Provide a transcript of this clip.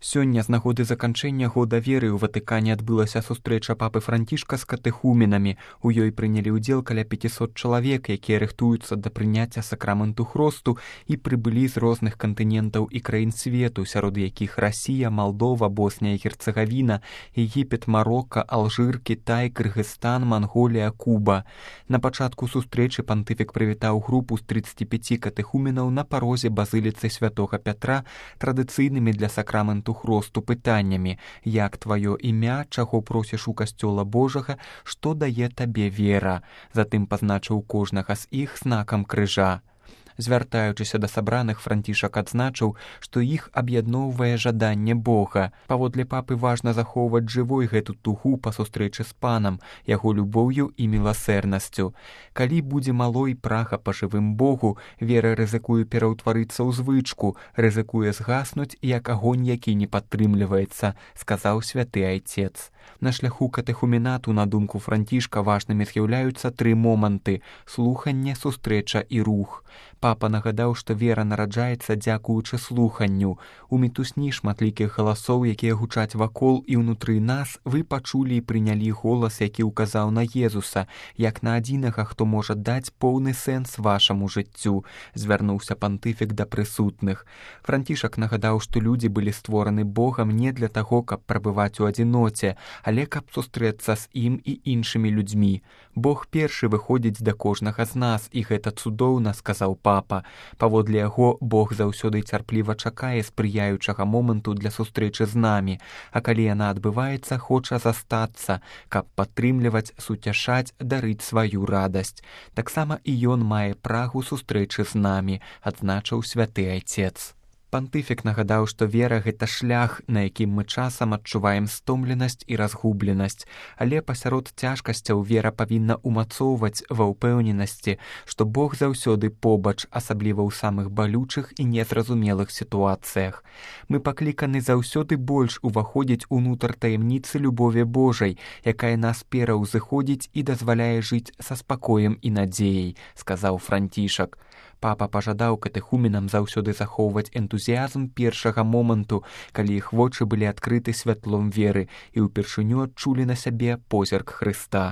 Сёння з нагоды заканчэння года веры ў Ватыкане адбылася сустрэча папы Францішка з катэхуменамі. У ёй прынялі ўдзел каля 500 чалавек, якія рыхтуюцца да прыняцця сакраменту хросту і прыбылі з розных кантынентаў і краін свету, сярод якіх Расія, Малдова, Босния і Герцегавіна, Егіпет, Марокко, Алжир, Кітай, Кыргызстан, Манголія, Куба. На пачатку сустрэчы пантыфік прывітаў групу з 35 катэхуменаў на парозе базыліцы святога Пятра традыцыйнымі для сакраменту хросту пытаннямі: як тваё імя, чаго просіш у касцёла Божага, што дае табе вера. Затым пазначыў кожнага з іх знакам крыжа. Звяртаючыся да сабраных, Францішак адзначыў, што іх аб'ядноўвае жаданне Бога. Паводле папы важна захоўваць жывой гэту тугу па сустрэчы з панам, яго любоўю і міласэрнасцю. Калі будзе малой прага па жывым Богу, вера рызыкуе пераўтварыцца ў звычку, рызыкуе згаснуць, як агонь, які не падтрымліваецца, сказаў святы айцец. На шляху катэхуменату, на думку Францішка, важнымі з'яўляюцца тры моманты: слуханне, сустрэча і рух. Папа нагадаў, што вера нараджаецца дзякуючы слуханню. У мітусні шматлікіх галасоў, якія гучаць вакол і ўнутры нас, вы пачулі і прынялі голас, які ўказаў на Езуса, як на адзінага, хто можа даць поўны сэнс вашаму жыццю, звярнуўся пантыфік да прысутных. Францішак нагадаў, што людзі былі створаны Богам не для таго, каб прабываць у адзіноце, але каб сустрэцца з ім і іншымі людзьмі. Бог першы выходзіць да кожнага з нас, і гэта цудоўна, сказаў папа. Паводле яго, Бог заўсёды цярпліва чакае спрыяючага моманту для сустрэчы з намі, а калі яна адбываецца, хоча застацца, каб падтрымліваць, суцяшаць, дарыць сваю радасць. Таксама і ён мае прагу сустрэчы з намі, адзначыў святы айцец. Пантыфік нагадаў, што вера – гэта шлях, на якім мы часам адчуваем стомленасць і разгубленасць, але пасярод цяжкасцяў вера павінна ўмацоўваць ва ўпэўненасці, што Бог заўсёды побач, асабліва ў самых балючых і незразумелых сітуацыях. Мы пакліканы заўсёды больш уваходзіць унутр таямніцы любові Божай, якая нас пераўзыходзіць і дазваляе жыць са спакоем і надзеяй, сказаў Францішак. Папа пажадаў катэхуменам заўсёды захоўваць энтузіязм першага моманту, калі іх вочы былі адкрыты святлом веры і ўпершыню адчулі на сябе позірк Хрыста.